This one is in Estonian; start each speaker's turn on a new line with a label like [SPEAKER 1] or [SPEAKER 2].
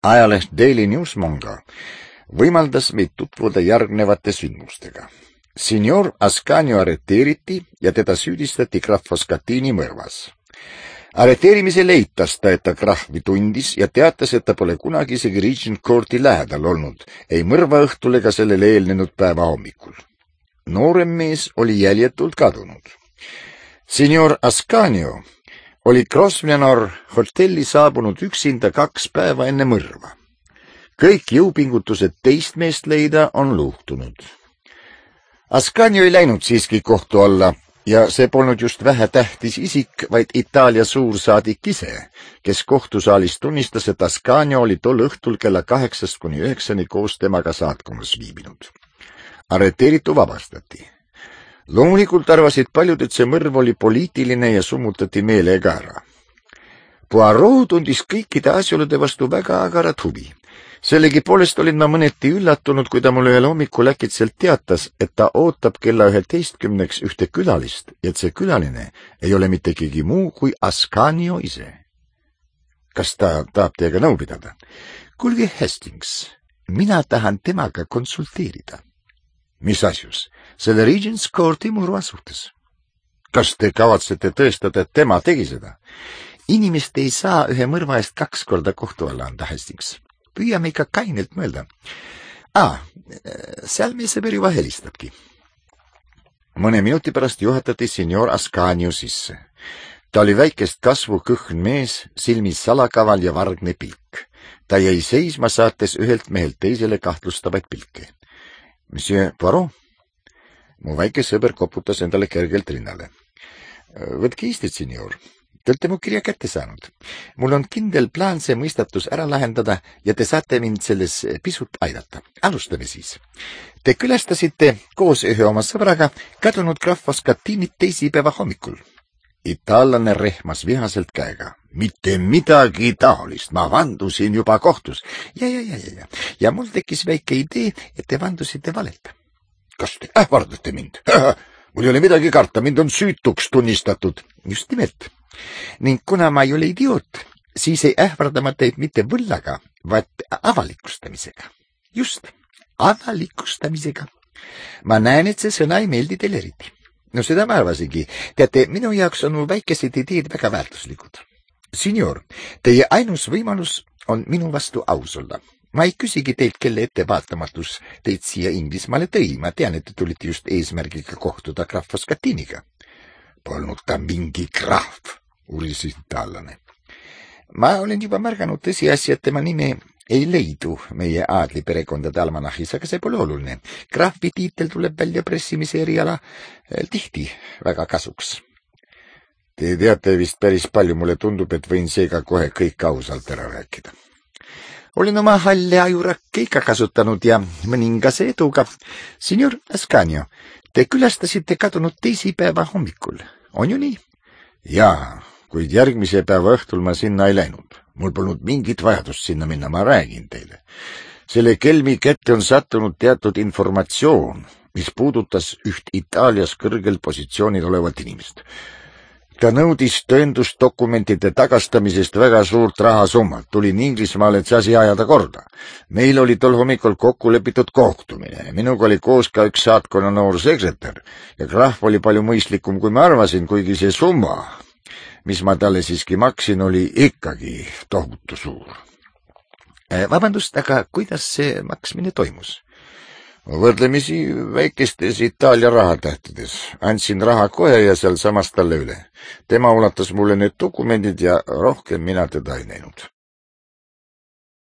[SPEAKER 1] Ajaleht Daily Newsmonger võimaldas meid tutvuda järgnevate sündmustega. Signor Ascanio arreteeriti ja teda süüdistati Graf Foscatini mõrvas. Arreteerimisel eitas ta, et ta Graffi tundis ja teatas, et ta pole kunagi isegi Regent Courti lähedal olnud, ei mõrva õhtul ega sellele eelnenud päeva hommikul. Noorem mees oli jäljetult kadunud. Signor Ascanio oli Grosvenor hotelli saabunud üksinda 2 päeva enne mõrva. Kõik jõupingutused teist meest leida on luhtunud. Ascanio ei läinud siiski kohtu alla ja see polnud just vähetähtis isik, vaid Itaalia suursaadik ise, kes kohtusaalis tunnistas, et Ascanio oli tol õhtul kella 8 kuni 9 koos temaga saatkonnas viibinud. Arreteeritu vabastati. Loomulikult arvasid paljud, et see mõrv oli poliitiline ja summutati meelega ära. Poirot tundis kõikide asjaolude vastu väga agarat huvi. Sellegipoolest olin ma mõneti üllatunud, kui ta mulle ühel hommikul äkitselt teatas, et ta ootab kella 11 ühte külalist ja et see külaline ei ole mitte keegi muu kui Ascanio ise. Kas ta tahab teiega nõu pidada? Kuulge, Hastings, mina tahan temaga konsulteerida. Mis asjus? Selle Regent's Courti murva suhtes. Kas te kavatsete tõestada, et tema tegi seda? Inimest ei saa ühe mõrva eest 2 korda kohtu alla anda, Hastings. Püüame ikka kainelt mõelda. Seal meie sõber juba helistabki. Mõne minuti pärast juhatati signor Ascanio sisse. Ta oli väikest kasvu kõhn mees, silmis salakaval ja vargne pilk. Ta jäi seisma, saates ühelt mehelt teisele kahtlustavaid pilke. Monsieur Poirot? Mu väike sõber koputas endale kergelt rinnale. Võtke istet, signor. Te olete mu kirja kätte saanud. Mul on kindel plaan see mõistatus ära lahendada ja te saate mind selles pisut aidata. Alustame siis. Te külastasite koos ühe oma sõbraga kadunud Graf Foscatinit teisipäeva hommikul. Itaallane rehmas vihaselt käega. Mitte midagi taolist, ma vandusin juba kohtus. Ja mul tekkis väike idee, et te vandusite valelt. Kas te ähvardate mind? Mul ei ole midagi karta, mind on süütuks tunnistatud. Just nimelt. Ning kuna ma ei ole idioot, siis ei ähvarda ma teid mitte võllaga, vaid avalikustamisega. Just, avalikustamisega. Ma näen, et see sõna ei meeldi teile eriti. No seda ma arvasingi. Teate, minu jaoks on mu väikesed ideed väga väärtuslikud. Signor, teie ainus võimalus on minu vastu aus olla. Ma ei küsigi teilt, kelle ettevaatamatus teid siia Inglismaale tõi. Ma tean, et te tulite just eesmärgiga kohtuda Graf Foscatiniga. Polnud ta mingi graaf, uris itaallane. Ma olen juba märganud tõsiasja, et tema nime ei leidu meie aadliperekondade almanahis, aga see pole oluline. Graafi tiitel tuleb välja pressimise eriala tihti väga kasuks. Te teate vist päris palju, mulle tundub, et võin seega kohe kõik ausalt ära rääkida. Olin oma halle ajurakke ikka kasutanud ja mõningase eduga. Signor Ascanio, te külastasite kadunud teisipäeva hommikul, on ju nii? Jaa, kuid järgmise päeva õhtul ma sinna ei läinud. Mul polnud mingit vajadust sinna minna, ma räägin teile. Selle kelmi kätte on sattunud teatud informatsioon, mis puudutas üht Itaalias kõrgel positsioonil olevat inimest. Ta nõudis tõendusdokumentide tagastamisest väga suurt rahasummat. Tulin Inglismaale, et see asi ajada korda. Meil oli tol hommikul kokku lepitud kohtumine. Minuga oli koos ka üks saatkonna noor sekretär ja Graf oli palju mõistlikum, kui ma arvasin, kuigi see summa, mis ma talle siiski maksin, oli ikkagi tohutu suur. Vabandust, aga kuidas see maksmine toimus? Võrdlemisi väikestes Itaalia rahatähtides. Andsin raha kohe ja seal samas talle üle. Tema ulatas mulle need dokumendid ja rohkem mina teda ei näinud.